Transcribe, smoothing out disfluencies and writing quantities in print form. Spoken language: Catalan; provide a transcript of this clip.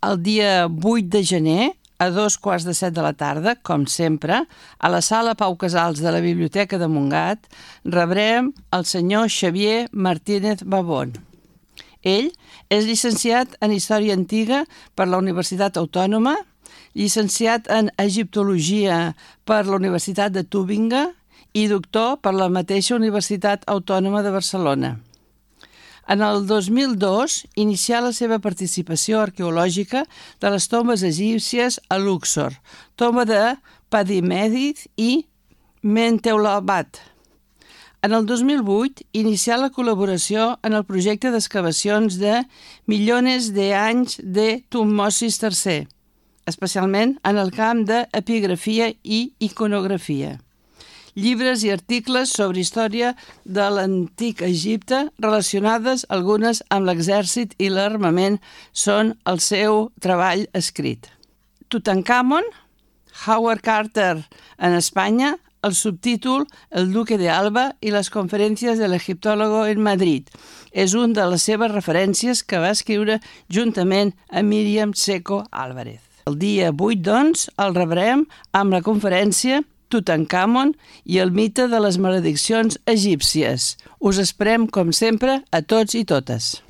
El dia 8 de gener, a 2:15 de la tarda, com sempre, a la sala Pau Casals de la Biblioteca de Montgat, rebrem el senyor Xavier Martínez Babón. Ell és llicenciat en Història Antiga per la Universitat Autònoma, llicenciat en Egiptologia per la Universitat de Tübingen i doctor per la mateixa Universitat Autònoma de Barcelona. En el 2002 inicià la seva participació arqueològica de les tombes egípcies a Luxor, tomba de Padimedid i Mentewlabat. En el 2008 inicià la col·laboració en el projecte d'excavacions de Millones de anys de Tutmosis III, especialment en el camp d'epigrafia i iconografia. Llibres i articles sobre història de l'antic Egipte, relacionades algunes amb l'exèrcit i l'armament, són el seu treball escrit. Tutankamon, Howard Carter en Espanya, el subtítol El Duque de Alba i les conferències de l'egiptòlogo en Madrid. És un de les seves referències que va escriure juntament amb Míriam Seco Álvarez. El dia 8, doncs, el rebrem amb la conferència Tutankamon i el mite de les malediccions egípcies. Us esperem, com sempre, a tots i totes.